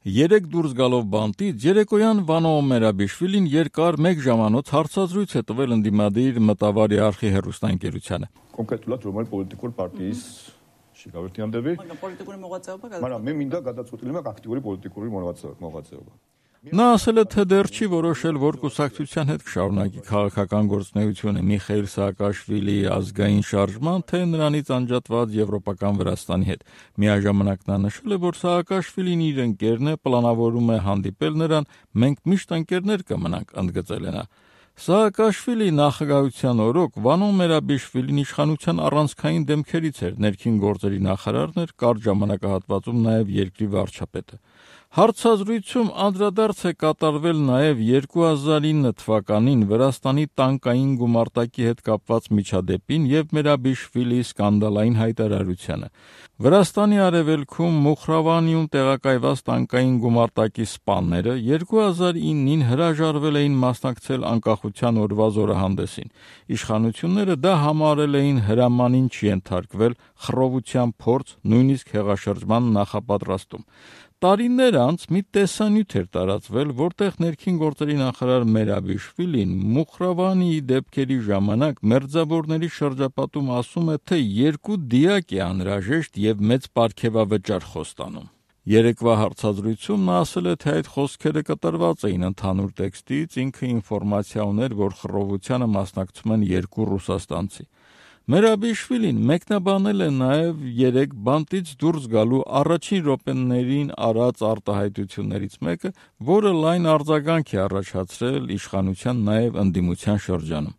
Երեկ դուրս գալով բանտից երեկոյան Վանո Մերաբիշվիլին երկար 1 ժամանոց հարցազրույց է տվել ընդդիմադիր Մտավարի արխի հեռուստաընկերությանը։ Կոնկրետ պոլիտիկურ партიის շիկավերտի անդրվի։ Պոլիտիկური մողացիობა։ Մարա მე მინდა გადაწყვეტილება აქტიური პოლიტიკური მოღვაწეობა։ Նա ասել է, թե դեռ չի որոշել, որ կուսակցության հետ կշարունակի քաղաքական գործունեությունը Միխայիլ Սաակաշվիլիի ազգային շարժման, թե նրանից անջատված Եվրոպական Վրաստանի հետ։ Միաժամանակ նա նշել է, որ Սաակաշվիլին իր ընկերն է, պլանավորում է հանդիպել նրան, մենք միշտ ընկերներ կմնանք, ընդգծել է նա։ Սաակաշվիլի նախագահության օրոք Վանո Մերաբիշվիլին իշխանության առանցքային դեմքերից էր, ներքին գործերի նախարարն էր, կարճ ժամանակահատվածում նաև երկրի վարչապետը։ Հարցազրույցում անդրադարձ է կատարվել նաև 2009 թվականին Վրաստանի տանկային գումարտակի հետ կապված միջադեպին եւ Մերաբիշվիլիի սկանդալային հայտարարությանը։ Վրաստանի արևելքում Մուխրավանիում տեղակայված տանկային գումարտակի սպաները 2009-ին հրաժարվել էին մասնակցել անկախության օրվա զորահանդեսին։ Իշխանությունները դա համարել էին հրամանին չենթարկվել, խռովության փորձ, նույնիսկ հեղաշրջման նախապատրաստում։ Տարիներ անց մի տեսանյութ էր տարածվել, որտեղ ներքին գործերի նախարար Մերաբիշվիլին Մուխրավանիի դեպքերի ժամանակ մերձավորների շրջապատում ասում է, թե 2 դիակ է անհրաժեշտ եւ մեծ պարգևավճար խոստանում։ Երեկվա հարցազրույցում նա ասել է, թե այդ խոսքերը կտրված էին ընդհանուր տեքստից, ինքը ինֆորմացիա ուներ, որ խռովությանը մասնակցում են 2 ռուսաստանցի։ Մերաբիշվիլին մեկնաբանել է նաև երեք բանտից դուրս գալու առաջին րոպեներին արած արտահայտություններից մեկը, որը լայն արձագանք է առաջացրել իշխանության նաև ընդդիմության շրջանում։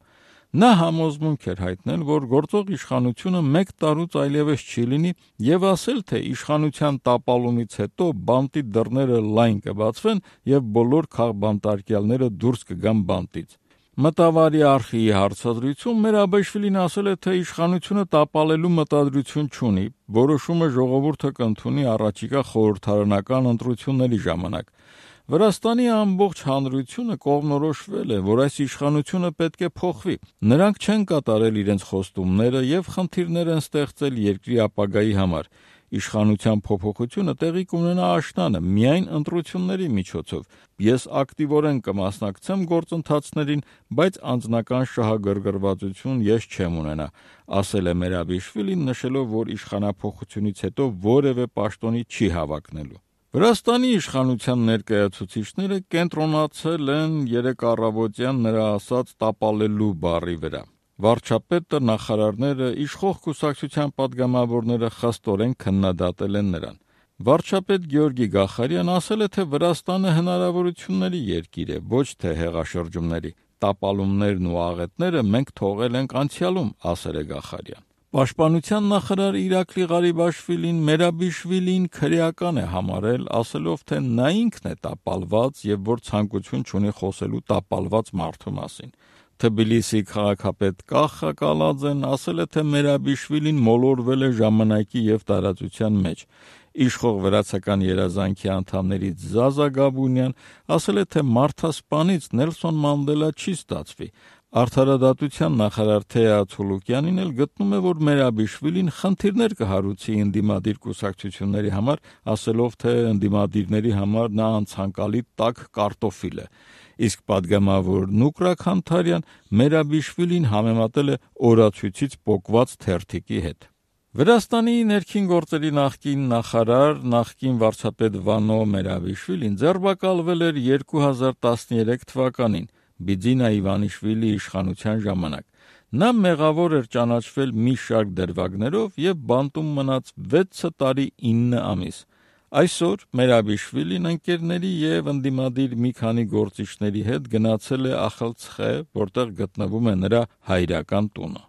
Նա համոզմունք էր հայտնել, որ գործող իշխանությունը 1 տարուց այլևս չի լինի եւ ասել, թե իշխանության տապալումից հետո բանտի դռները լայն կբացվեն եւ բոլոր քաղբանտարկյալները դուրս կգան բանտից։ Մտավարի արխիի հարցազրույցում Մերաբիշվիլին ասել է, թե իշխանությունը տապալելու մտադրություն չունի, որոշումը ժողովուրդը կընդունի առաջիկա խորհրդարանական ընտրությունների ժամանակ։ Վրաստանի ամբողջ հանրությունը կողմնորոշվել է, որ այս իշխանությունը պետք է փոխվի։ Նրանք չեն կատարել իրենց խոստումները եւ խնդիրներ են ստեղծել երկրի ապագայի համար։ Իշխանության փոփոխությունը տեղի կունենա աշնանը, միայն ընտրությունների միջոցով։ Ես ակտիվորեն կմասնակցեմ գործընթացներին, բայց անձնական շահագրգռվածություն ես չեմ ունենա, ասել է Մերաբիշվիլին, նշելով, որ իշխանափոխությունից հետո որևէ պաշտոնի չի հավակնելու։ Վրաստանի իշխանության ներկայացուցիչները կենտրոնացել են երեկ առավոտյան նրա ասած տապալելու բառի վրա։ Վարչապետը, նախարարները, իշխող կուսակցության պատգամավորները խստորեն քննադատել են նրան։ Վարչապետ Գեորգի Գախարյան ասել է, թե Վրաստանը հնարավորությունների երկիր է, ոչ թե հեղաշրջումների։ Տապալումներն ու աղետները մենք թողել ենք անցյալում, ասել է Գախարյան։ Պաշտպանության նախարար Իրակլի Ղարիբաշվիլին Մերաբիշվիլին քրեական է համարել, ասելով, թե նա ինքն է տապալված եւ որ ցանկություն չունի խոսելու տապալված մարդու մասին։ Թբիլիսի քաղաքապետ Կախա Կալաձեն ասել է, թե Մերաբիշվիլին մոլորվել է ժամանակի եւ տարածության մեջ։ Իշխող վրացական երազանքի անդամներից Զազա Գաբունյան ասել է, թե մարդասպանից Նելսոն Մանդելա չի ստացվի։ Արդարադատության նախարար Թեա Ցուլուկյանին էլ գտնում է, որ Մերաբիշվիլին խնդիրներ կհարուցի ընդդիմադիր կուսակցությունների համար, ասելով, թե ընդդիմադիրների համար նա անցանկալի տաք կարտոֆիլ է։ Իսկ պատգամավոր Նուկրակ Հանթարյան Մերաբիշվիլին համեմատել է օրացույցից պոկված թերթիկի հետ։ Վրաստանի ներքին գործերի նախկին նախարար, նախկին վարչապետ Վանո Մերաբիշվիլին ձերբակալվել էր 2013 թվականին Բիձինա Իվանիշվիլի իշխանության ժամանակ։ Նա մեղավոր էր ճանաչվել մի շարք դրվագներով եւ բանտում մնաց 6 տարի 9 ամիս։ Այսօր Մերաբիշվիլին ընկերների եւ ընդդիմադիր մի քանի գործիչների հետ գնացել է Ախալցխե, որտեղ գտնվում է նրա հայրական տունը։